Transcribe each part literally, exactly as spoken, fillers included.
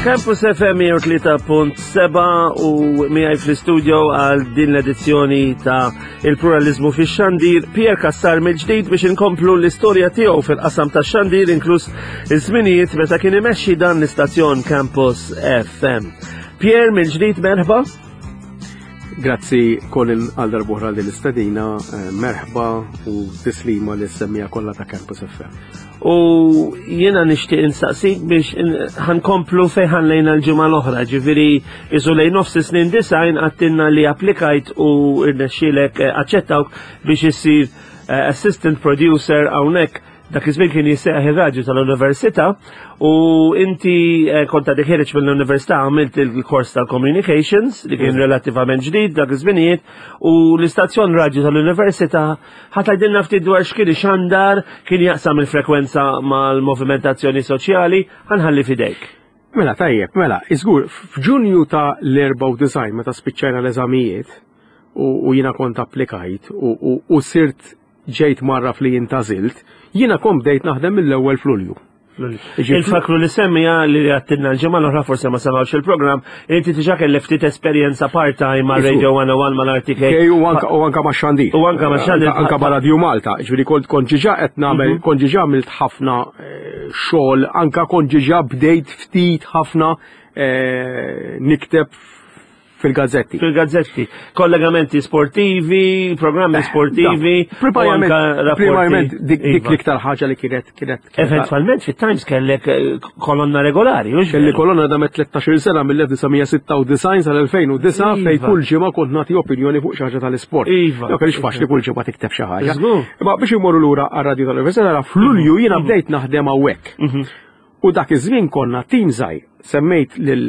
Campus F M mija u tlieta punt seba' u miegħi fl-istudio għal din l-edizzjoni ta' Il-Pluralizmu fi xandir Pierre Cassar mill-ġdid biex inkomplu l-istorja tiegħu fil-qasam ta' xandir, inkluż iż-żminijiet meta kien imexxi dan l-istazzjon Campus F M. Pierre, mill-ġdid merħba. Grazzi, Colin, għal darb'oħra din l-istedina, eh, merħba u tislima lis-semmiegħa kollha ta' Campus F M. U jiena nixtieq insaqsik biex ħa nkomplu fejn ħallejna l-ġimgħa l-oħra, ġifieri isu lejn nofs snin disgħin għedtilna li applikajt u irnexxielek eh, aċċettawk biex issir eh, assistant producer hawnhekk. Dak iż-żmien kien jissejjaħ ir-radju tal-università u inti eh, kont għadek ħiereġ mill-università, għamilt il-kors tal-communications li kien relattivament ġdid dak iż-żminijiet u l-istazzjon radju tal-università ħa tgħidilna ftit dwar x'kien ixandar, kien jaqsam il-frekwenza mal-movimentazzjoni soċjali, ħa nħalli f'idejk. Mela, tajjeb, mela, iżgur, f'Ġunju ta' l-erbgħa u disgħin meta spiċċajna l-eżamijiet u, u jiena kont applikajt u, u, u sirt ġejt mgħarraf li intgħażilt, jiena kont bdejt naħdem mill-ewwel f'Lulju. Infakkru lis-semmiegħa li għedtilna l-ġimgħa l-oħra, forse ma semgħux il-programm, inti diġà kellek ftit esperjenza part-time ma' Radio one oh one, mal-R T K. U anka u anka ma' xandir. U anka ma' xandir. Anka ma' Radio Malta. Ġifieri kont kont diġà qed nagħmel, kont diġà għamilt ħafna eh, xogħol, anka kont diġà bdejt ftit ħafna eh, nikteb fil-gazzetti. Fil-gazzetti. Kollegamenti sportivi, programmi sportivi, u Primarjament, anka rapporti. Primarjament dik dik Iva. l-iktar ħaġa li kienet kienet Eventualment fit-Times kellek eh, kolonna regolari, hux Kelli veru? kolonna da tlettax-il sena mill-elf disa' mija sitta u disgħin sal-elfejn u disgħa fej Iva. kull ġimgħa kont nagħti opinjoni fuq xi ħaġa tal-isport. Iva. Jo kellix faċli kull ġimgħa tikteb xi ħaġa. Żgur. Imma biex imorru lura għar-radju tal-Università, nara f'Lulju jiena bdejt naħdem hawnhekk. Mhm. U dak iż-żmien konna tim żgħir, semmejt lil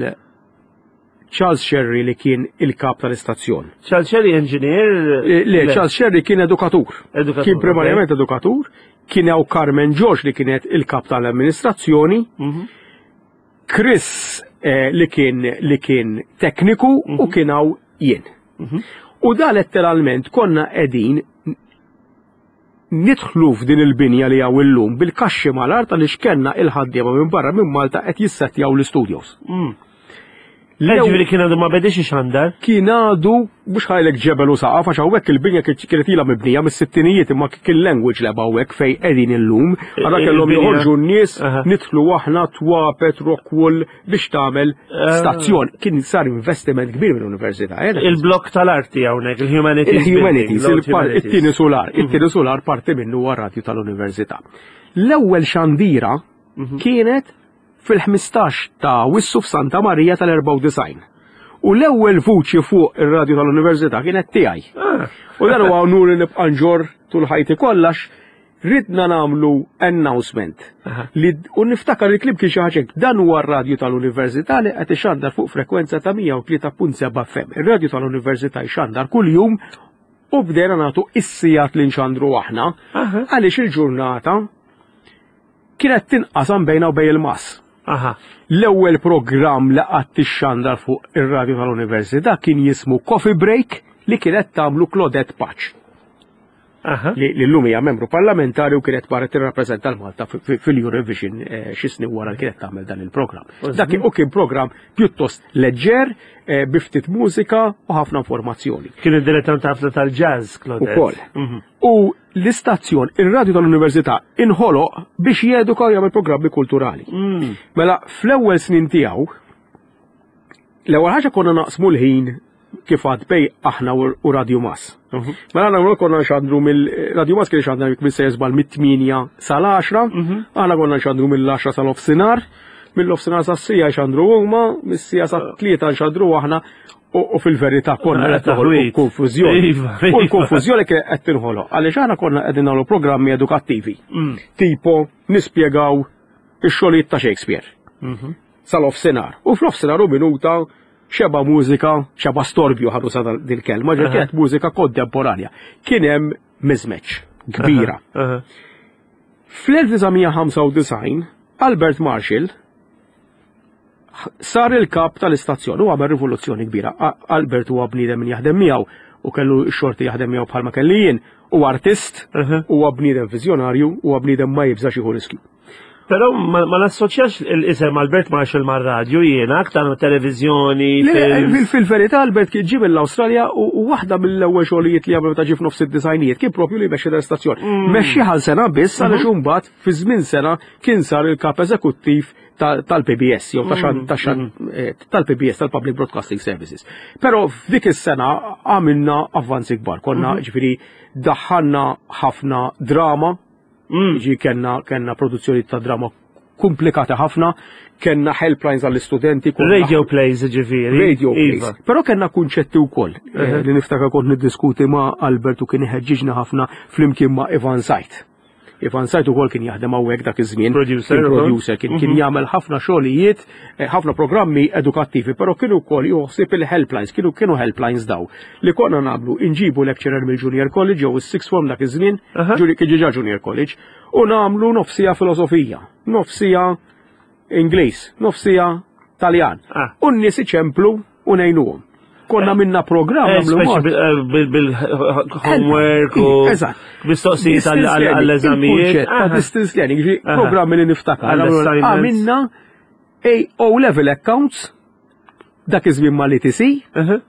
Charles Sherry li kien il-kap tal-istazzjon. Charles Sherry engineer? Le, Charles Sherry kien edukatur. Edukatur, Kien primarjament edukatur, kien hawn Carmen George li kienet il-kap tal-amministrazzjoni, Mhm. Chris eh, li kien li kien tekniku u kien hawn jien. Mhm. U da letteralment konna qegħdin nidħlu f'din il-binja li hawn illum bil-kaxxi mal-art għaliex kellna il-ħaddiema minn barra minn Malta qed jissettjaw l-studios. Mm. Ġifieri kien għadu ma bedix ixandar? Kien għadu mhux ħajlek ġebel u saqaf, għax hawnhekk il-binja kienet ilha mibnija mis-sittinijiet, imma kien language lab hawnhekk fejn qegħdin illum. Għara kellhom Il-binja- joħorġu n-nies, Aha. nidħlu aħna twapet rockwool biex tagħmel Ah. stazzjon. Kien sar investiment kbir mill-università. eh, dak Il-blok tal-arti hawnhekk, il-humanities. Il-humanities, building, il-par- l-humanities. it-tieni solar, it-tieni solar parti minnu huwa radju tal-università. L-ewwel xandira kienet fil-ħmistax ta' Awwissu f'Santa Marija tal-erbgħa u disgħin. U l-ewwel vuċi fuq ir-radju tal-università kienet tiegħi. Ah. U dan huwa unur li nibqa' nġorr tul ħajti kollha. Ridna nagħmlu announcement. Aha. Li u niftakar il-kliem kien xi ħaġa hekk, dan huwa r-radju tal-università li qed ixandar fuq frekwenza ta' mija u tlieta punt seba' F M. Ir-radju tal-università jxandar kuljum u bdejna nagħtu is-sigħat li nxandru aħna Aha. għaliex il-ġurnata kienet tinqasam bejna u bejn il-Mas. Aha. L-ewwel programm li qatt ixxandar fuq ir-radju tal-università kien jismu Coffee Break li kienet tagħmlu Claudette Pace Aha. li li llum hija membru parlamentari u kienet marret tirrappreżenta l-Malta fi- fi- fil-Eurovision eh, xi snin wara li kienet tagħmel dan il-programm. Dak kien- u kien programm pjuttost leġġer, eh, bi ftit mużika u ħafna informazzjoni. Kien id-dilettant ħafna tal-jazz, Claudette. Ukoll. Mhm. U l-istazzjon, il-radju tal-università inħoloq biex jeduka u jagħmel programmi kulturali. Mm. Mela fl-ewwel snin tiegħu, l-ewwel ħaġa konna naqsmu l-ħin kif għad bejn aħna u u Radio Mas. Mhm. Mela aħna konna nxandru mill-Radio Mas kien xandru jekk se jeżbal mit-tmienja sal-għaxra, Mhm. aħna konna nxandru mill-għaxra sal-ofsinhar, mill-ofsinhar sas-siegħa jxandru huma, mis-siegħa sat-tlieta nxandru aħna u u fil-verità konna Mela qed noħolqu taħwid. konfużjoni. Iva, U iva. l-konfużjoni kienet qed tinħoloq għaliex aħna konna qegħdin nagħmlu programmi edukattivi. Mm. Tipo nispjegaw ix-xogħlijiet ta' Shakespeare Mhm. sal-ofsinhar. U fl-ofsinhar u minuta xeba mużika, xeba storbju ħadu sa dil-kelma, ġa Aha. kienet mużika kontemporanja. Kien hemm mismatch kbira. Aha. Fl-elf disa' mija ħamsa u disgħin Albert Marshall sar il-kap tal-istazzjon u għamel rivoluzzjoni kbira. A- Albert huwa bniedem min jaħdem miegħu u kellu xorti jaħdem miegħu bħalma kelli jien, u artist, Uh-huh. huwa bniedem viżjonarju, huwa bniedem ma jibżax jieħu riskju. Però ma ma nassoċjax l-isem Albert Marshall mar-radju jiena, aktar ma' televiżjoni, Le, films. fil- Fil-verità Albert kien ġie mill-Awstralja u u waħda mill-ewwel xogħlijiet li għamel meta ġie f'nofs id-disgħinijiet kien propju li jmexxi l-istazzjon. Mexxi għal sena biss għaliex imbagħad fi żmien sena kien sar il-kap eżekuttiv ta- tal-P B S jew ta' xan- ta' xan- eh, tal-P B S, tal-Public Broadcasting Services. Però f'dik is-sena għamilna avvanzi kbar. Konna, ġifieri, daħħalna ħafna drama, ġi kellna kellna produzzjoni ta' drama komplikata ħafna, kellna helplines għall-istudenti, konna Radio plays, ġifieri. Radio plays. Iva. Però kellna kunċetti wkoll eh, li niftakar kont niddiskuti ma' Albert u kien iħeġġiġna ħafna flimkien ma' Ivan Sajt. Ivan Sajt ukoll kien jaħdem hawnhekk dak iż-żmien. Producer Kien ukoll. producer, kien kien jagħmel ħafna xogħlijiet, eh, ħafna programmi edukattivi, però kienu wkoll joħsib il-helplines, kienu kienu helplines daw li konna nagħmlu, inġibu lecturer mill-Junior College jew is-Sixth Form dak iż-żmien, Aha. ġuri- kien ġiġa Junior College, u nagħmlu nofsija filosofija, nofsija Ingliż, nofsija Taljan. Ah. U n-nies iċemplu u ngħinuhom. Konna minna programm Eh, nagħmlu speċi mod- bil- eh, bil- bil-homework u Eżatt. mistoqsijiet Distance learning, għall-eżamijiet. il-kunċett ta' Aha. distance learning, ġi Aha. programmi li niftakar. Għall-assignments. Għamilna O level accounts dak iż-żmien mal-E T C, Aha.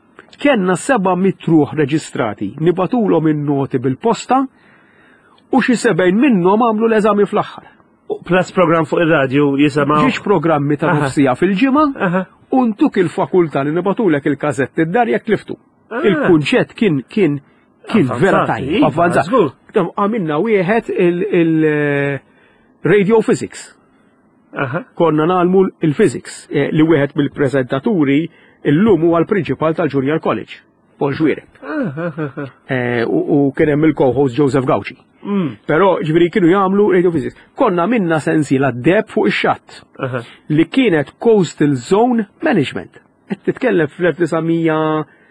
kellna seba' mitt ruħ reġistrati, nibagħtulhom in-noti bil-posta u xi sebgħin minnhom għamlu l-eżami fl-aħħar. U plus program fuq ir-radju jisimgħu. Ġiex programmi ta' Aha. nofsija fil-ġimgħa Aha. u ntuk il-fakultà li nibagħtulek il-kazetti d-dar jekk tliftu. Ah. Il-kunċett kien kien kien Avvanzat, vera tajjeb, iva, avvanzat. żgur. Għamilna wieħed il-radio physics. Aha. Konna ngħallmu il-physics eh, li wieħed mill-preżentaturi illum huwa l-principal tal-Junior College, Paul Xuereb. Eh, U u kien hemm il-co-host Joseph Gauci. Mm. Però ġifieri kienu jagħmlu radio physics. Konna minna sensiela deb fuq ix-xatt Aha. li kienet Coastal Zone Management. Qed titkellem fl-elf disa' mija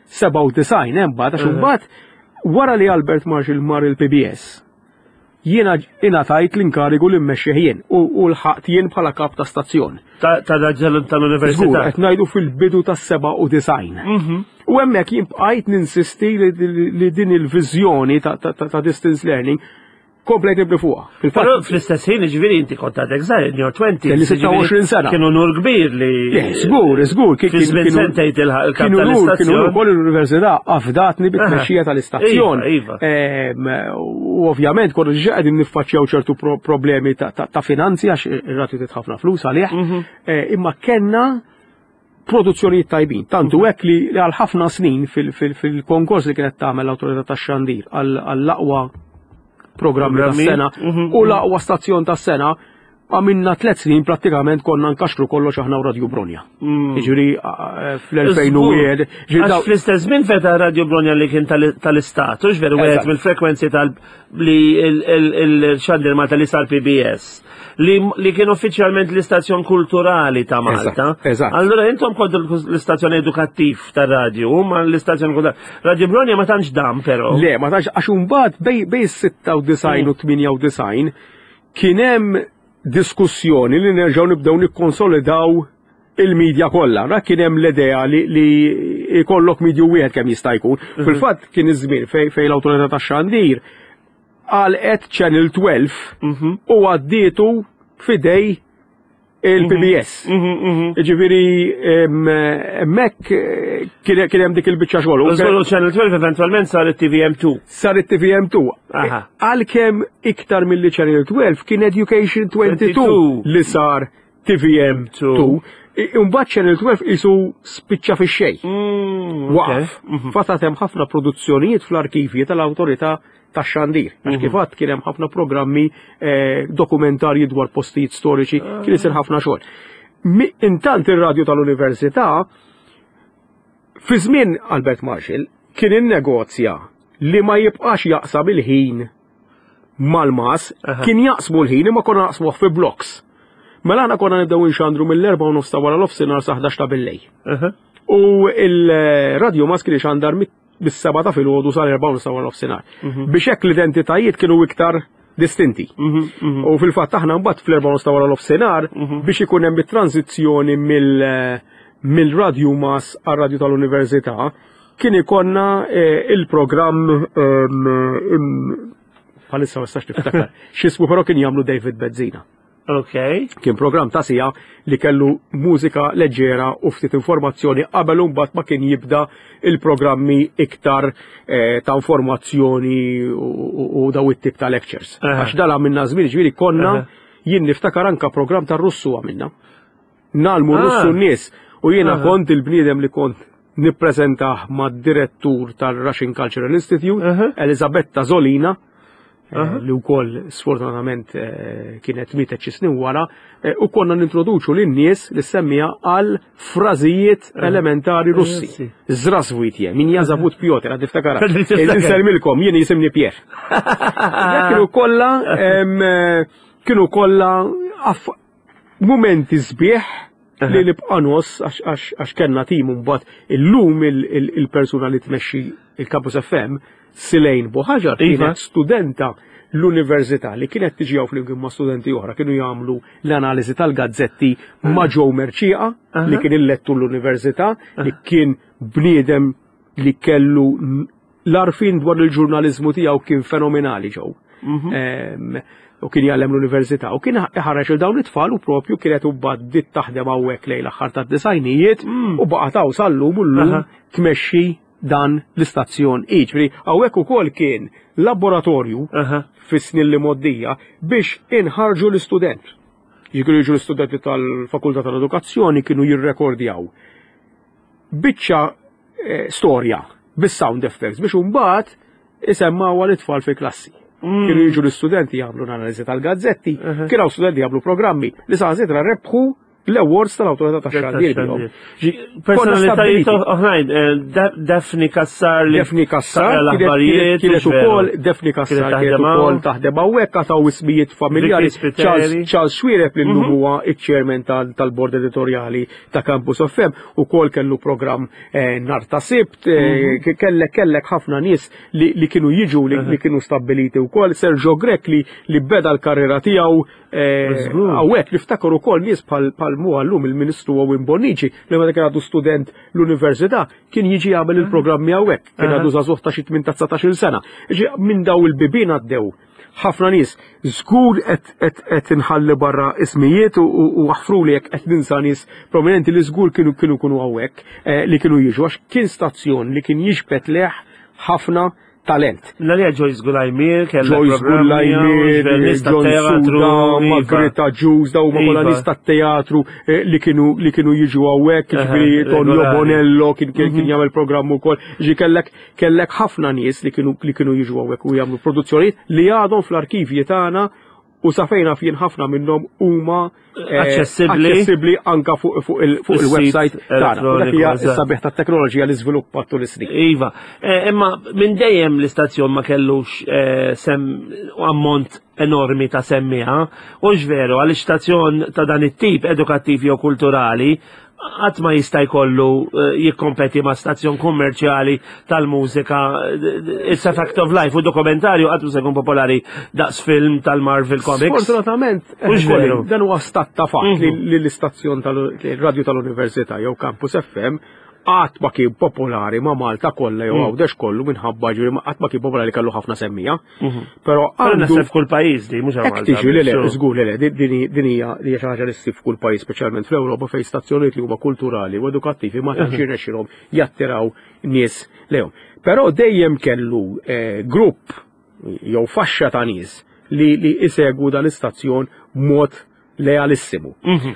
sebgħa u disgħin hemm mbagħad, għax imbagħad wara li Albert Marshall mar il-P B S, jiena ingħatajt l-inkarigu li mmexxih jien u u lħaqt jien bħala kap ta' stazzjon. Ta' ta' raġel Żgur, tal-università. qed ngħidu fil-bidu tas-sebgħa u disgħin. Mhm. U hemmhekk jien bqajt ninsisti li, li, li din il-viżjoni ta', ta, ta, ta' distance learning komplejt nibni fuqha. Però Fil-fatt, fl-istess ħin, ġifieri, inti kont għadek żgħir, in your twenties. Kelli sitta u għoxrin sena. Kienu nur kbir li. Le, żgur, żgur, kien Fi żmien kienu- sentejn tilħaq il-kap kienu nur, kienu tal-istazzjon. ukoll l-università afdatni bit-tmexxija tal-istazzjon. Iva, iva. Ehm, U ovvjament konna ġa qegħdin niffaċċjaw ċertu pro- problemi ta' ta' ta' finanzi għax ir-radju trid ħafna flus għalih. Mhm. Eh, Imma kellna produzzjonijiet tajbin. Tantu hekk li li għal ħafna snin fil- fil- fil-konkors li kienet tagħmel l-Awtorità tax-Xandir għall- għall-aqwa programmi Programmi. tas-sena Mhm, u l-aqwa stazzjon tas-sena, għamilna tliet snin prattikament konna nkaxkru kollox aħna u Radio Bronja. Mm. Ġifieri fl-elfejn u wieħed. Ġifieri Għax daw- fl-istess żmien feta Radio Bronja li kien tal- tal-istat, u veru wieħed Eżatt. mill-frekwenzi tal li il-xandir Malta li sar P B S li, li kien uffiċjalment l-istazzjon kulturali ta' Malta. Eżatt, eżatt. Allora intom kontu l-istazzjon edukattiv tar-radju, huma l-istazzjon kulturali. Radio Bronja ma tantx dam però. Le, ma tantx, għax imbagħad bej bej sitta u disgħin u tmienja u disgħin kien hemm diskussjoni li nerġgħu nibdew nikkonsolidaw il-medja kollha. Ra kien hemm l-idea li, li ikollok medju wieħed kemm jista' jkun. Fil-fatt kien iż-żmien fej, fej l-Awtorità tax-Xandir għalqet Channel tnax Mhm. u għaddietu f'idej il-P B S. Mhm, mhm. Ġifieri, hemmhekk kien kien hemm dik il-biċċa xogħol. U Żgur Channel tnax eventualment sar it-T V M two. Sar it-T V M two. Aha. Għalkemm iktar mill-li Channel tnax kien Education twenty-two twenty-two. li sar T V M two. Imbagħad Channel tnax isu spiċċa fix-xejn. Mm, Waqaf. Fatat hemm ħafna produzzjonijiet fl-arkivji tal-Awtorità tax-Xandir. Għax kif għadt kien hemm ħafna programmi eh, dokumentarji dwar postijiet storiċi, kien isir ħafna xogħol. Mi- Intant ir-radju tal-Università fi żmien Albert Marshall kien innegozja li ma jibqax jaqsam il-ħin mal-MAS, Aha. kien jaqsmu l-ħin imma konna naqsmuh fi blocks. Mela aħna konna nibdew inxandru mill-erbgħa u nofs ta' wara nofsinhar sa ħdax ta' billejl. Aha. U il-radio MAS kien ixandar mis-sebgħa ta' filgħodu sal-erbgħa u nofs ta' wara nofsinhar. Biex hekk l-identitajiet kienu iktar distinti. Mhm, mhm. U fil-fatt aħna mbagħad fl-erbgħa u nofs ta' wara nofsinhar biex ikun hemm it-tranzizzjoni mill mill-radio MAS għar-radio tal-università, Kien ikollna eh, il-programm em, im- bħalissa ma nistax niftakar. X'ismu però kien jagħmlu David Bezzina. Ok. Kien programm ta' siegħa li kellu mużika leġġera u ftit informazzjoni qabel u mbagħad ma kien jibda il-programmi iktar eh, ta' informazzjoni u, u, u daw it-tip ta' lectures. Aha. Għax dala minna żmien ġifieri konna Aha. jien niftakar anka programm ta' Russu għamilna. Ngħallmu Ah. Russu n-nies u jiena Aha. kont il-bniedem li kont nippreżentah mad-direttur tal-Russian Cultural Institute, Aha. Elisabetta Zolina, eh, Aha. li wkoll sfortunatament eh, kienet mietet xi snin wara, eh, u konna nintroduċu lin-nies li semmija għal frażijiet elementari Russi. Russi. Здравствуйте, меня зовут Piotr, għad tiftakara. Niftakar. Insellmilkom, jien jisimni Pier. Dak Kienu kollha em, eh, kienu kollha aff- momenti sbieħ li nibqa' nos għax- għax għax kellna tim mbagħad illum il- il- il-persuna li tmexxi il-Campus F M, Silejn Buħaġar, Iva. kienet studenta l-università li kienet tiġi hawn flimkien ma' studenti oħra kienu jagħmlu l-analiżi tal-gazzetti ma' Joe Mercieca li kien il-lettur l-università li kien bniedem li kellu l-għarfien dwar il-ġurnalizmu tiegħu kien fenomenali Joe. Em, U kien jgħallem l-università u kien ħareġ il dawn it-tfal u propju kienet u bdiet taħdem hawnhekk lejn l-aħħar tad-disgħinijiet u baqgħet hawn sal-lum u llum Aha. tmexxi dan l-istazzjon. Jiġifieri hawnhekk ukoll kien laboratorju Aha. fis-snin li moddija biex inħarġu l-istudent. Jiġifieri jiġu l-istudenti tal-Fakultà tal-Edukazzjoni kienu jirrekordjaw biċċa eh, storja bis-sound effects biex imbagħad isemmgħuha l-itfal fil-klassi. Kienu jiġu l-istudenti jagħmlu l-analiżi tal-gazzetti, kienu hawn studenti jagħmlu programmi li saħansitra rebħu l-awards tal-Awtorità tax-Xandir bihom. Ġi- konna Personalitajiet stabbiliti. oħrajn, eh, Da- Daphne Cassar li Daphne Cassar taqra kienet- l-aħbarijiet, kienet mhux veru. ukoll Daphne Cassar Kienet kienet taħdem ukoll hawn. taħdem hawnhekk għataw ismijiet familjari. Vicky Spiteri. Charles Charles Xuereb li llum huwa iċ-chairman tal- tal-board editorjali ta' Campus F M ukoll kellu programm eh, nhar ta' Sibt, eh, ke- kellek kellek ħafna nies li li kienu jiġu li li kienu stabbiliti wkoll. Sergio Grech li li beda l-karriera tiegħu eh, Żgur. hawnhekk niftakar ukoll nies bħal bħal mu għallum il-Ministru Owen Bonnici li meta kien għadu student l-università kien jiġi jagħmel il-programmi hawnhekk, kien għadu żagħżugħ ta' xi tmintax sena. Ġi minn daw il-bibien għaddew ħafna nies żgur qed qed qed inħalli barra ismijiet u- u u aħfru li jekk qed ninsa nies prominenti li żgur kienu kienu kienu hawnhekk eh, li kienu jiġu għax kien stazzjon li kien jiġbed leh ħafna talent. L-għalija Joyce Gulajmir, kella Joyce programmi, Gulajmir, nies John tat-teatru, Suda, iva. Margherita Ġuż, daw ma kollha Iva. nies tat-teatru eh, li kienu li kienu jiġu hawnhekk, Aha, ġifieri Tonio regolari. Bonello kien kien kien jagħmel programm ukoll. Ġi kellek kellek ħafna nies li kienu li kienu jiġu hawnhekk u jagħmlu produzzjonijiet li għadhom fl-arkivji tagħna u sa fejna fien ħafna minnhom huma eh, Aċċessibbli. aċċessibbli anka fuq fuq il- fuq Is-sit il-website tagħna. U Dak hija elettroniku, eżatt. s-sabiħ tat-teknoloġija li żviluppat tul is-snin. Iva, Eh, imma minn dejjem l-istazzjon ma kellux eh, sem ammont enormi ta' semmiegħa, u veru għal istazzjon ta' dan it-tip edukattiv jew kulturali qatt ma jista' jkollu eh, jikkompeti ma' stazzjon kummerċjali tal-mużika. eh, It's a fact of life u dokumentarju qatt ma se jkun popolari daqs film tal-Marvel Comics. Sfortunatament, eh, Mhux Colin, veru. dan huwa stat ta' fatt li li l-istazzjon tal-radju tal-Università jew Campus F M qatt ma kien popolari ma' Malta kollha jew Għawdex kollu minħabba ġifieri ma- qatt ma kien popolari kellu ħafna semmiegħa. Però Però għandu naħseb f'kull pajjiż di, mhux Hekk Malta. tiġi li le, biss, żgur li le, din- din din hija din hija xi ħaġa li ssib f'kull pajjiż, speċjalment fl-Ewropa fejn stazzjonijiet li huma kulturali u edukattivi ma tantx jirnexxilhom jattiraw nies lejhom. Però dejjem kellu eh, grupp jew faxxa ta' nies li li isegwu dan l-istazzjon b'mod lealissimu.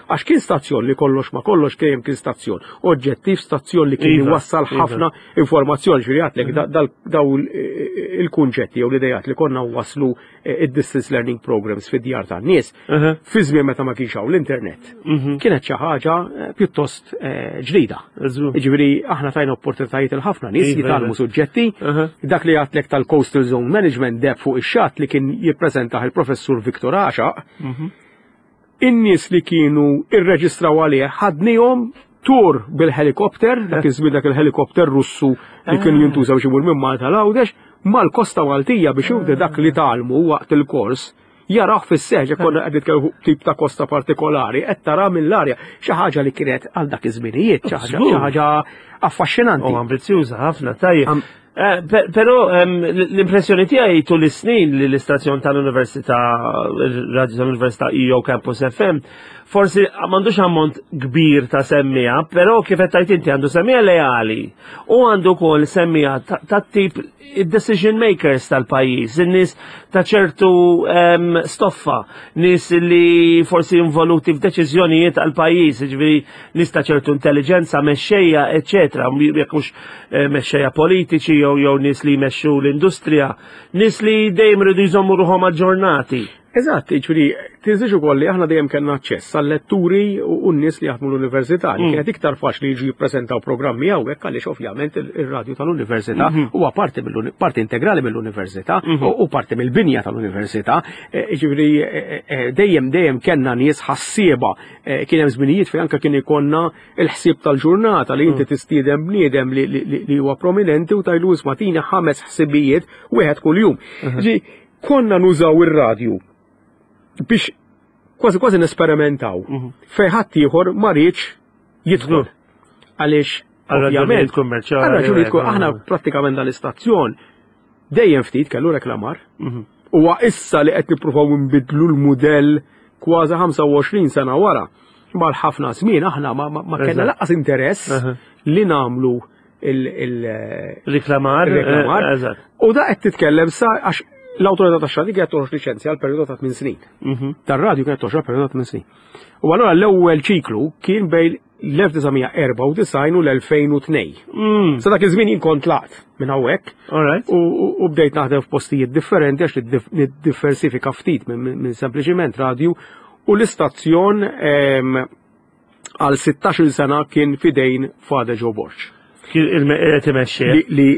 Għax kien stazzjon li kollox ma kollox kien kien stazzjon oġġettiv, stazzjon li kien Iva, iwassal iva. ħafna informazzjoni, ġifieri għatlek da- dal- daw il- il-kunċetti jew l-idejat li konna waslu eh, id-distance learning programs fid-djar tan-nies Aha. fi żmien meta ma kienx hawn l-internet. Kienet xi ħaġa eh, pjuttost eh, ġdida. Żgur. Jiġifieri aħna tajna opportunitajiet il ħafna nies Iva, jitgħallmu iva. suġġetti. Aha. Dak li għatlek tal-Coastal Zone Management deb fuq ix-xatt li kien jippreżentah il-professur Viktor Għaxaq. In-nies li kienu irreġistraw għalih ħadnihom tur bil-helikopter, dak iż-żmien dak il-helikopter Russu li kienu jintużaw biex imur minn Malta l-Għawdex, mal-Kosta Maltija biex jibda dak li tgħallmu waqt il-kors jaraw fis-seħġ konna qed nitkellmu fuq tip ta' kosta partikolari qed tara mill-arja xi ħaġa li kienet għal dak iż-żminijiet, xi ħaġa xi ħaġa affaxxinanti. U ambizzjuża ħafna, tajjeb. Eh, però l-impressjoni tiegħi tul is-snin li l-istazzjon tal-Università, radio tal-Università E O Campus F M, forsi m'għandux ammont kbir ta' semmiegħa, però kif qed tgħid inti għandu semmiegħa leali u għandu wkoll semmiegħa ta' tip decision makers tal-pajjiż, in-nies ta' ċertu stoffa, nies li forsi involuti f'deċiżjonijiet għal-pajjiż, ġifieri nies ta' ċertu intelligenza, mexxejja, eċetera, jekk mhux eh, mexxejja politiċi jew jew nies li jmexxu l-industrija, nies li dejjem iridu jżommu ruħhom aġġornati. Eżatt, ġifieri, tinsiex ukoll li aħna dejjem kellna aċċess għal-letturi u n-nies li jaħdmu l-università, li mm. kienet iktar faċli jiġu jippreżentaw programmi hawnhekk għaliex ovvjament ir-radju tal-università mhm. huwa parti parti integrali mill-università mhm. u parti mill-binja tal-università. E, ġifieri e, e, dejjem dejjem kellna nies ħassieba, kien hemm żminijiet fejn anke kien ikollna il-ħsieb tal-ġurnata li inti mm. tistieden bniedem li huwa prominenti u tgħidlu, "Isma', tina ħames ħsibijiet, wieħed kuljum." Mhm. Konna nużaw ir-radju biex kważi kważi nesperimentaw. Mhm. Fejn ħadd ieħor ma riedx jidħol. Għaliex ovvjament kummerċjali. Għal aħna prattikament dal-istazzjon dejjem ftit kellu reklamar. Mhm. Huwa issa li qed nippruvaw nbidlu l-mudell kważi ħamsa u għoxrin sena wara. Ma l-ħafna żmien aħna ma kellna lanqas interess li nagħmlu il-reklamar. Reklamar. Eh, u da qed titkellem sa għax l-autorità ta' xandir kienet toħroġ liċenzja għal perjodu ta' tmien snin. Mhm. Tar-radju kienet toħroġ għal perjodu ta' tmien snin. U allura l-ewwel ċiklu kien bejn l-elf disa' mija erbgħa u disgħin u l-elfejn u tnejn. Mm. Sa dak iż-żmien jien kont tlaqt minn hawnhekk u bdejt naħdem f'postijiet differenti għax niddiversifika ftit minn sempliċiment radju u l-istazzjon għal sittax-il sena kien f'idejn Father Joe Borg. Li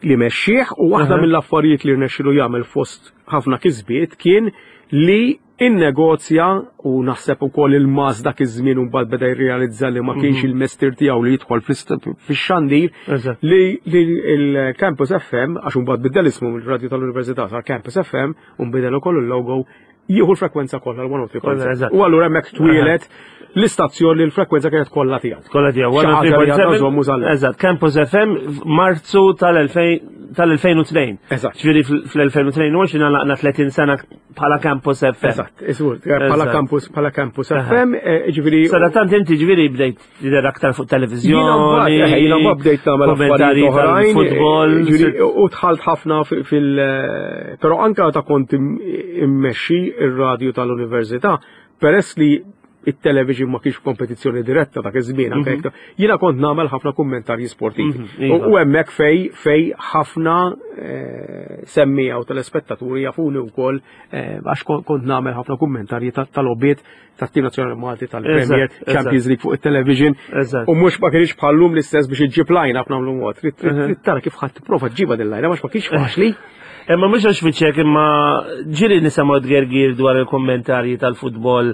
li mexxieħ u waħda mill-affarijiet li rnexxilu jagħmel fost ħafna kisbiet kien li innegozja u naħseb ukoll il-mas dak iż-żmien u mbagħad beda jirrealizza li ma kienx mhm. il-mestier tiegħu li jidħol fix-xandir li il-Campus F M, għax imbagħad biddel ismu mill-radju tal-Università sar Campus F M u nbidel ukoll il-logo, jieħu l-frekwenza kollha l-mija u tlieta punt seba. U allura hemmhekk twieled l-istazzjon li l-frekwenza kienet kollha tiegħu. Kollha tiegħu. Eżatt, Campus F M Marzu tal-elfejn u tnejn. Eżatt. Ġifieri fl-elfejn u tnejn u għoxrin għalaqna tletin sena bħala Campus F M. Eżatt, bħala Campus bħala Campus F M, eh, ġifieri. Sadattant inti ġifieri bdejt tidher aktar fuq televiżjoni. Jiena ma bdejt nagħmel affarijiet oħrajn. Futbol. U dħalt ħafna fil- però anka ta' kont immexxi ir-radju tal-università, peress li it-television ma kienx kompetizzjoni diretta dak iż-żmien anke mhm. jiena kont nagħmel ħafna kummentarji sportivi. Mhm, iva. U hemmhekk fej fej ħafna eh, semmiegħa u telespettaturi jafuni wkoll eh, għax kont nagħmel ħafna kummentarji tal-logħbiet tat-Tim Nazzjonali Malti, tal-Premier, Champions League fuq it-television. U mhux ma kienx bħallum l-istess biex iġġib line up nagħmlu mod. Trid tara kif ħadd tipprova ġġibha din line għax ma kienx faċli. Imma mhux għax fiċek, imma ġieli nisimgħu tgergir dwar il-kommentarji tal-futbol,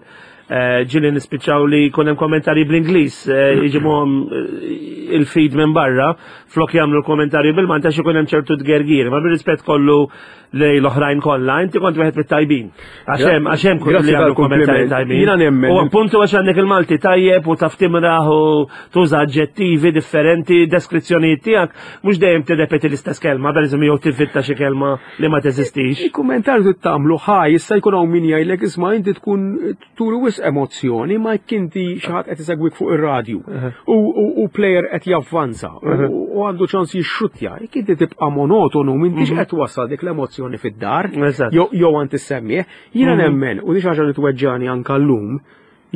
eh, ġieli nispiċċaw li jkun hemm kommentarji bl-Ingliż, eh, iġibuhom eh, il-feed minn barra, flok jagħmlu l-kommentarji bil-Malti għax ikun hemm ċertu tgergir, ma bir-rispett kollu lej l-oħrajn kollha, inti kont wieħed mit-tajbin. Għax hemm għax hemm li jagħmlu kommentarji tajbin. Jiena nemmen. U appuntu għax għandek il-Malti tajjeb u taf timraħ u tuża aġġettivi differenti, deskrizzjonijiet tiegħek mhux dejjem tirrepeti l-istess kelma, pereżempju jew tivvinta xi kelma li ma teżistix. Il-kummentarju tagħmlu ħaj, issa jkun hawn min jgħidlek, "Isma', inti tkun turi wisq emozzjoni," ma jekk inti xi ħadd qed isegwik fuq ir-radju u player qed javvanza u għandu ċans jixxuttja, jekk inti tibqa' monotonu m'intix mhm. qed wassal dik l-emozzjoni fid-dar jew għand is-semmiegħ. Jiena mhm. nemmen u di xi ħaġa li tweġġani anke llum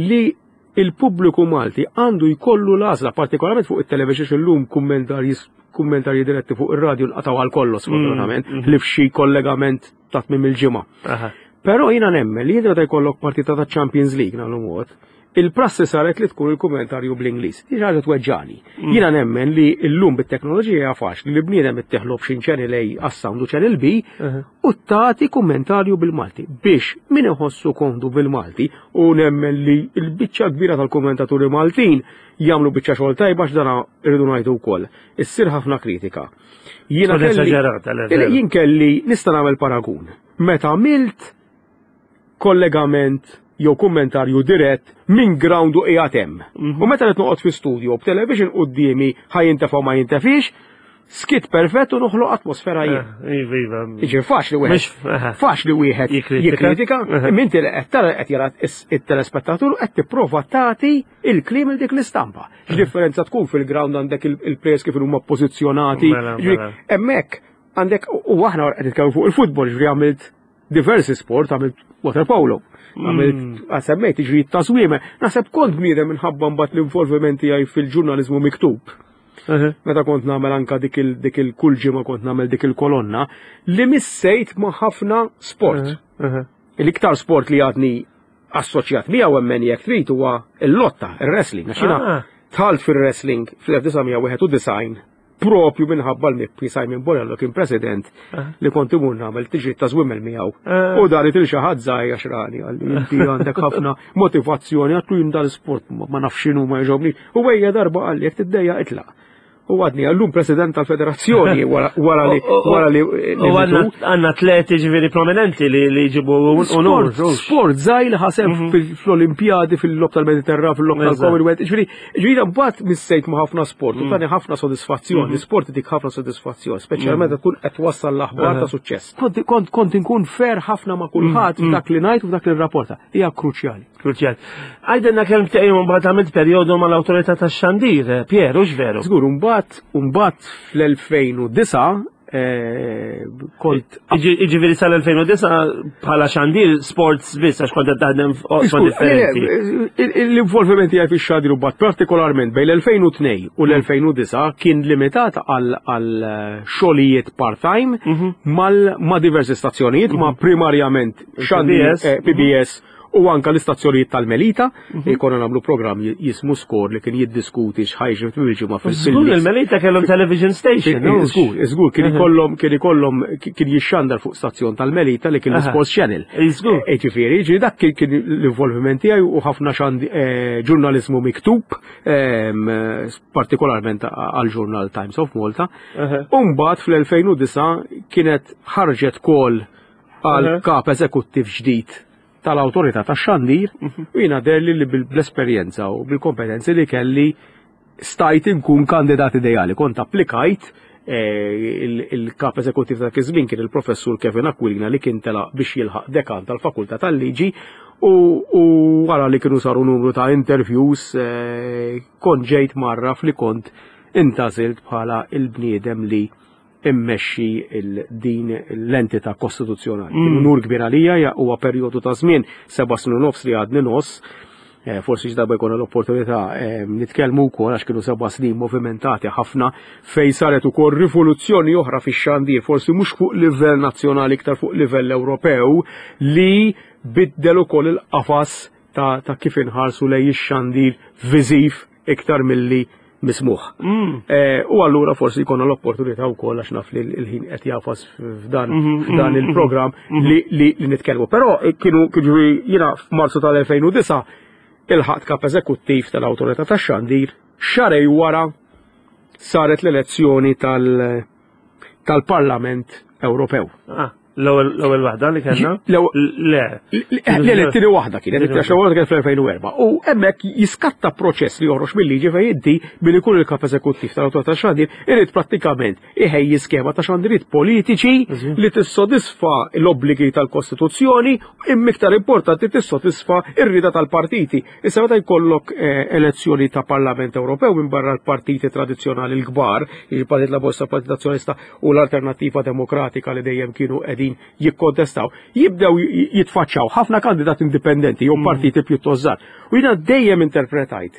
li il-pubbliku Malti għandu jkollu l-għażla, partikolarment fuq it-television illum, kummentarji kummentarji diretti fuq ir-radju nqataw għal kollox sfortunatament, mm, li f'xi kollegament ta' tmiem il-ġimgħa. Però jiena nemmen li meta jkollok partita ta' Champions League nagħmlu mod, il-prassi saret li tkun il-kummentarju bl-Ingliż. Di ħaġa tweġġani. Mm. Jiena nemmen li llum bit-teknoloġija hija faċli li bniedem ittih l-option channel A għas-sound u channel B u tagħti kummentarju bil-Malti biex min iħossu komdu bil-Malti, u nemmen li l-biċċa kbira tal-kommentaturi Maltin jagħmlu biċċa xogħol tajba x'dana irridu ngħidu wkoll. Issir ħafna kritika. Jiena kelli jien kelli nista' nagħmel paragun. Meta għamilt kollegament jew kummentarju dirett minn ground u qiegħed hemm. U meta qed noqgħod fi studio b'television quddiemi, ħa jintefa' ma jintefix, skit perfett u noħloq atmosfera jien. Iva, iva. Iġi faċli wieħed. Mhux- aha. Faċli wieħed Jikkritika. jikkritika, Aha. imma inti li qed tara, qed jara is- it-telespettatur, qed tipprova tagħti il-kliem il dik l-istampa. X'differenza tkun fil-ground, għandek il- il-players kif huma pożizzjonati. Mela, Ġifieri, mela. hemmhekk għandek, u aħna qed nitkellmu fuq il-futbol, ġifieri għamilt diversi sport, għamilt water polo, għamilt, semmejt ġifieri tażwiemel. Naħseb kont bniedem minħabba mbagħad l-involviment tiegħi fil-ġurnaliżmu miktub Aha. meta kont nagħmel anka dik il dik il kull ġimgħa kont nagħmel dik il-kolonna li missejt ma' ħafna sport. Aha. L-iktar sport li għadni assoċjat miegħu hemmen jekk trid huwa l-lotta, ir-wrestling. Għax jiena Ah. dħalt fir-wrestling fl-elf disa' mija wieħed u disgħin propju minħabba l-mibki Simon Borrello kien president Ah. li kont imur nagħmel tiġri ta' żwiemel miegħu. Ah. U dari til xi ħadd żgħir għax rani qalli inti għandek ħafna motivazzjoni, għatlu jien dal-sport ma ma nafx x'inhu, ma jogħġobni. U ejja darba qalli jekk tiddejja itlaq. U għadni għallum president tal-federazzjoni wara wara li wara li li U għanna mitu. għanna atleti ġifieri prominenti li li jġibu unur. Sport, sport żgħir li ħa sehem fil-Olimpjadi, fil-logħob tal-Mediterran, fil-logħob Eżatt. tal-Commonwealth. Ġifieri, ġifieri mbagħad missejt ma' ħafna sport u tani ħafna sodisfazzjon. L-sport dik ħafna sodisfazzjon, speċjalment meta tkun qed twassal l-aħbar ta' suċċess. Kont kont kont inkun fair ħafna ma' kulħadd f'dak li ngħid u f'dak li nrapporta. Hija kruċjali. Kruċjal. Għidilna kemm tgħin mbagħad għamilt perjodu mal-awtorità tax-xandir, eh, Pier, hux veru? Żgur, mbagħad mbagħad fl-elfejn u disgħa eh, kont Iġifieri sal-elfejn u disgħa bħala xandir sports biss, għax kont qed taħdem f'oqsma differenti. L-involviment tiegħi fix-xandir u partikolarment bejn l-elfejn u tnejn u l-elfejn u disgħa kien limitat għal għal xogħlijiet part-time mal ma' diversi stazzjonijiet, ma' primarjament xandir P B S. eh, P B S u anka l-istazzjonijiet tal-Melita, li konna nagħmlu programm jismu Skor li kien jiddiskuti x'ħa jiġri fil-ġimgħa Żgur, il-Melita kellhom television station. hux? Żgur, żgur, kien ikollhom kien ikollhom kien jixxandar fuq stazzjon tal-Melita li kien Aha. l-Sports Channel. Żgur. E, Ġifieri, ġifieri dak kien kien l-involviment tiegħi u ħafna xandi eh, ġurnaliżmu miktub, ehm, partikolarment għal ġurnal Times of Malta. Aha. U mbagħad fl-elfejn u disgħa kienet ħarġet call għal Aha. kap eżekuttiv ġdid tal-awtorità tax-xandir u jiena deherli li bil-esperjenza u bil-kompetenzi li kelli stajt inkun kandidat ideali. Kont applikajt, eh, il- il-kap eżekuttiv ta' iż-żmien kien il-professur Kevin Aquilina li kien tela biex jilħaq dekan tal-Fakultà tal-Liġi u, u wara li kienu saru numru ta' interviews eh, kont ġejt mgħarraf li kont intgħażilt bħala il-bniedem li immexxi il-din l-entità kostituzzjonali. Kien unur kbir għalija, ja- huwa perjodu ta' żmien seba' snin u nofs li għadni nos. Eh, forsi x'darba jkollna l-opportunità eh, nitkellmu wkoll għax kienu seba' snin movimentati ħafna fejn saret ukoll rivoluzzjoni oħra fix-xandir, forsi mhux fuq livell nazzjonali, iktar fuq livell Ewropew, li biddel ukoll il-qafas ta', ta' kif inħarsu lejn ix-xandir viżiv iktar milli mismugħ. Eh, u allura forsi jkollna l-opportunità wkoll, għax naf li l-ħin qed jagħfas f'dan f'dan il-programm li, li, li nitkellmu. Però eh, kienu kienu jiena f'Marzu tal-elfejn u disgħa ilħaqt kap eżekuttiv tal-Awtorità tax-Xandir, xahrejn wara saret l-elezzjoni tal- tal-Parlament Ewropew. Ah, L-ewwel l-ewwel waħda li kellna? L-ewwel- Le. Le, le, t-tieni waħda kienet, it-tieni waħda kienet fl-elfejn u erbgħa. U hemmhekk jiskatta proċess li joħroġ mill-liġi fejn inti billi jkun il-kap eżekuttiv tal-Awtorità tax-Xandir irid prattikament iħejji skema ta' xandiriet politiċi li tissodisfa l-obbligi tal-Kostituzzjoni, imma iktar importanti tissodisfa ir-rida tal-partiti. Issa meta jkollok eh, elezzjoni ta' Parlament Ewropew, minn barra l-partiti tradizzjonali l-kbar, il-Partit Laburista, Partit Nazzjonalista u l-Alternattiva Demokratika li dejjem kienu qegħdin jikkontestaw, jibdew jitfaċċaw ħafna kandidati indipendenti jew partiti pjuttost żgħar. U jiena dejjem interpretajt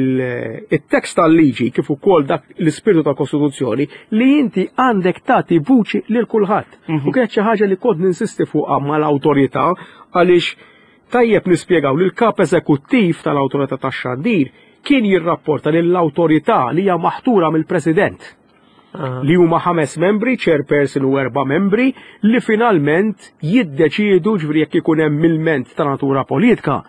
il-tekst tal-liġi kif ukoll dak l-ispirtu tal-Kostituzzjoni li inti għandek tagħti vuċi lil kulħadd. U kienet xi ħaġa li kont ninsisti fuqha mal-awtorità, għaliex tajjeb nispjegaw li l-kap eżekuttiv tal-Awtorità tax-Xandir kien jirrapporta lill-awtorità li hija maħtura mill-President, li huma ħames membri, chairperson u erba' membri, li finalment jiddeċiedu, ġifieri jekk ikun hemm ilment ta' natura politika.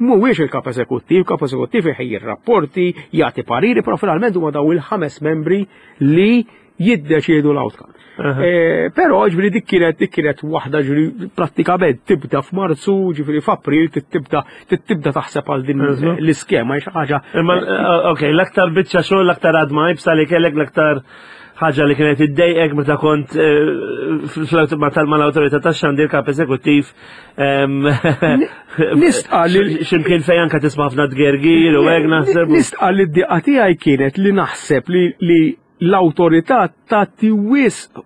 Mhuwiex il-kap eżekuttiv, kap eżekuttiv iħejji rapporti, jagħti pariri, però finalment huma daw il-ħames membri li Jiddeċiedu l-outcome. Eh, però ġifieri dik kienet dik kienet waħda, ġifieri prattikament tibda f'Marzu, ġifieri f'April tibda tibda taħseb għal din l-iskema, xi ħaġa. Imma eh, ok, l-aktar biċċa xogħol, l-aktar għadma iebsa li kellek, l-aktar ħaġa li kienet iddejqek meta kont eh, mal-Awtorità tax-Xandir, kap eżekuttiv? Nistqa li x'imkien fejn anke tisma' ħafna tgergir u hekk, naħseb. Nistqa li d-diqa tiegħi kienet li naħseb li l-awtorità tagħti wisq,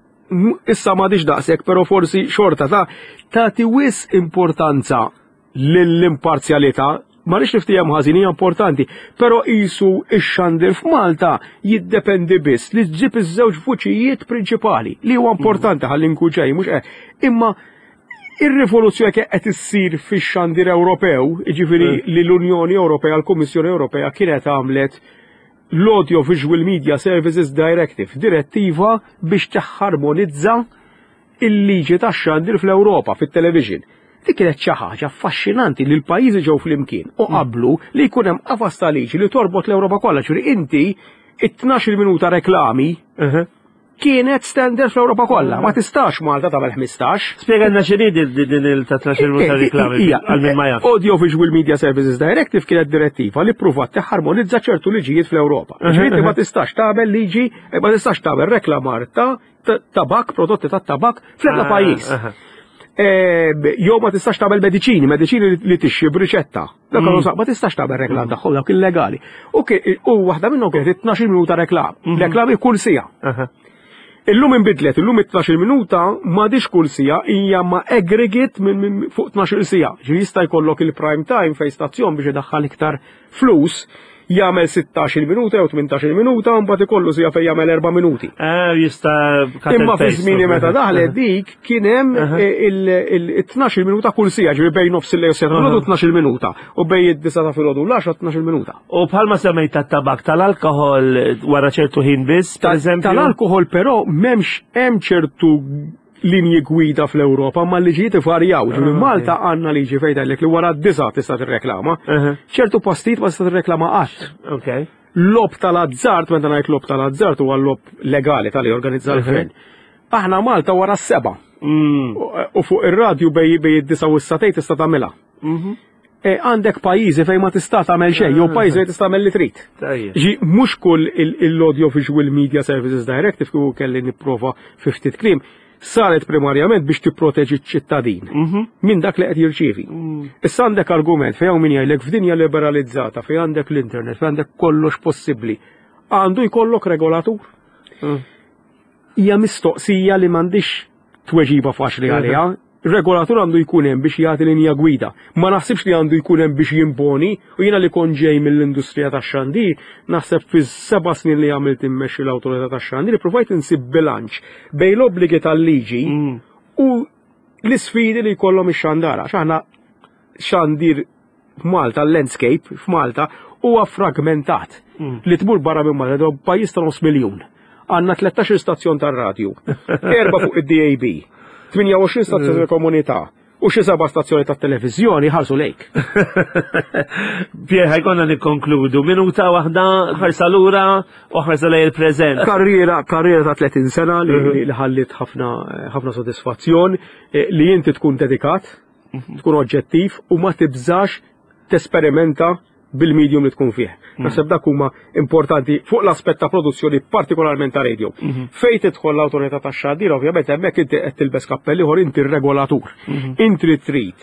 issa m'għadix daqshekk, però forsi xorta ta' tagħti wisq importanza lill-imparzjalità. Ma rridx niftiehem ħażin, hija importanti, però qisu ix-xandir f'Malta jiddependi biss li ġġib iż-żewġ vuċijiet prinċipali, li huwa importanti, ħalli nkun ġej, mhux hekk. Imma ir-rivoluzzjoni qed issir fix-xandir Ewropew, jiġifieri mm. li l-Unjoni Ewropea, l-Kummissjoni Ewropea kienet għamlet l-Audio Visual Media Services Directive, direttiva biex taħarmonizza il-liġi tax-xandir fl-Ewropa, fit-television. Dik kienet xi ħaġa affaxxinanti li l-pajjiżi ġew flimkien u qablu li jkun hemm qafas ta' liġi li torbot l-Ewropa kollha, ġifieri inti it-tnax-il minuta reklami kienet standard fl-Ewropa kollha. Ma tistax Malta tagħmel ħmistax. Spjegalna x'inhi din il ta' tnax-il minuta reklami għal min ma jaf. Audio Visual Media Services Directive kienet direttiva li pruvat tiħarmonizza ċertu liġijiet fl-Ewropa. Ġifieri inti ma tistax tagħmel liġi, ma tistax tagħmel reklamar ta' tabak, prodotti ta' tabak fl-ebda pajjiż. Jew ma tistax tagħmel mediċini, mediċini li tixtri b'riċetta. Dak mm. ma tistax tagħmel reklam tagħhom, dak illegali. U waħda minnhom kienet tnax-il minuta reklam, mhm. reklami kull siegħa. Illum inbidlet, illum it-tnax-il minuta m'għadix kull siegħa, hija ma aggregate minn fuq tnax-il siegħa. Ġi jista' jkollok il-prime time fejn stazzjon biex idaħħal iktar flus jagħmel sittax-il minuta jew tmintax-il minuta, mbagħad ikollu siegħa fejn jagħmel erba' minuti. Eh, jista' Imma fi żmieni meta daħlet dik kien hemm il-tnax-il minuta kull siegħa, ġifieri bejn nofs il-lejl siegħa filgħodu tnax-il minuta u bejn id-disgħa ta' filgħodu l-għaxra tnax-il minuta. U bħalma semmejt tat-tabak, tal-alkohol wara ċertu ħin biss, per eżempju? Tal-alkohol però m'hemmx, hemm ċertu linji gwida fl-Ewropa, ma liġijiet varjaw. Ġifieri ah, Malta għandna liġi fejn tgħidlek li wara d-disgħa tista' tirreklama. Ċertu postijiet ma tista' tirreklama qatt. Ok. Logħob tal-azzard, meta ngħid logħob tal-azzard huwa logħob legali tal organizza l-gvern. Aħna Malta wara s-sebgħa. Mm. U fuq ir-radju bejn bejn id-disgħa u s-sagħtejn tista' tagħmilha. Mhm. E, għandek pajjiżi fejn ma tista' tagħmel xejn, jew pajjiżi fejn tista' tagħmel li trid. Tajjeb. Ġi mhux kull il-Audio Visual Media Services Directive, kieku kelli nipprova fi ftit kliem, saret primarjament biex tipproteġi ċ-ċittadin Mhm. minn dak li qed jirċievi. Mm. Issa għandek argument fejn hawn min jgħidlek f'dinja liberalizzata, fejn għandek l-internet, fejn għandek kollox possibbli, għandu jkollok regolatur? Mm. Hija mistoqsija li m'għandix tweġiba faċli għaliha. Regolatur għandu jkun hemm biex jagħti linja gwida. Ma naħsibx li għandu jkun hemm biex jimponi, u jiena li kont ġej mill-industrija tax-xandir, naħseb fi seba' snin li għamilt immexxi l-Awtorità tax-Xandir, provajt insib bilanċ bejn l-obbligi tal-liġi Mm. u l-isfidi li jkollhom ix-xandara. Għax aħna xandir f'Malta, l-landscape f'Malta huwa fragmentat. Mm. Li tmur barra minn Malta, pajjiż ta' nofs miljun. Għandna tlettax-il stazzjon tar-radju, erba' fuq id-D A B, tmienja u għoxrin stazzjoni tal-komunità u xi seba' stazzjoni tat-televiżjoni, ħarsu lejk. Pier, ħa jkollna nikkonkludu. Minuta waħda, ħarsa lura u ħarsa lejn il-preżent. Karriera, karriera ta' tletin sena li li ħallit ħafna ħafna sodisfazzjon, eh, li inti tkun dedikat, tkun oġġettiv u ma tibżax tesperimenta bil-medium li tkun fih. Naħseb dak huma importanti fuq l-aspett ta' produzzjoni, partikolarment ta' radio. Fejn tidħol l-Awtorità tax-Xandir, ovvjament hemmhekk inti qed tilbes kappell ieħor, inti r-regolatur. Inti li trid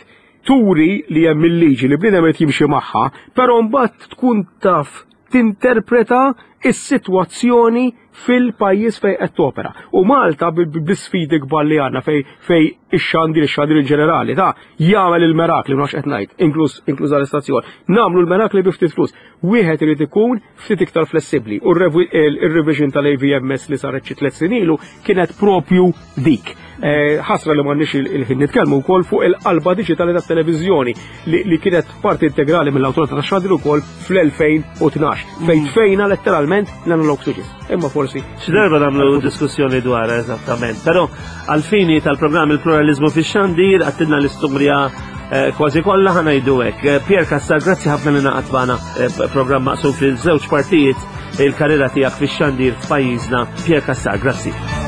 turi li hemm il-liġi li bniedem qed jimxi magħha, però mbagħad tkun taf tinterpreta is-sitwazzjoni fil-pajjiż fejn qed topera. U Malta bl-isfidi kbar li għandna fejn fejn ix-xandir, ix-xandir in ġenerali, ta' jagħmel il-merakli, ma nafx qed ngħid, inkluż inkluż l-istazzjon. Nagħmlu l-merakli bi ftit flus. Wieħed irid ikun ftit iktar flessibbli. U r-revision tal-A V M S li saret xi tliet snin ilu kienet propju dik. Eh, ħasra li m'għandniex il-ħin nitkellmu wkoll fuq il-qalba diġitali tat-televiżjoni li li kienet parti integrali mill-Awtorità tax-Xandir ukoll fl-elfejn u tnax fejn tfejna letteralment l-analog switches. Imma forsi Xi darba nagħmlu diskussjoni dwar eżattament. Però għal-fini tal-programm Il-Pluralizmu fix-Xandir għedtilna l-istorja eh, kważi kollha, ħa ngħidu hekk. Eh, Pierre Cassar, grazzi ħafna li ngħaqadt magħna, eh, programm maqsum fil-żewġ partijiet. il-karriera tiegħek fix-xandir f'pajjiżna. Pierre Cassar, grazzi.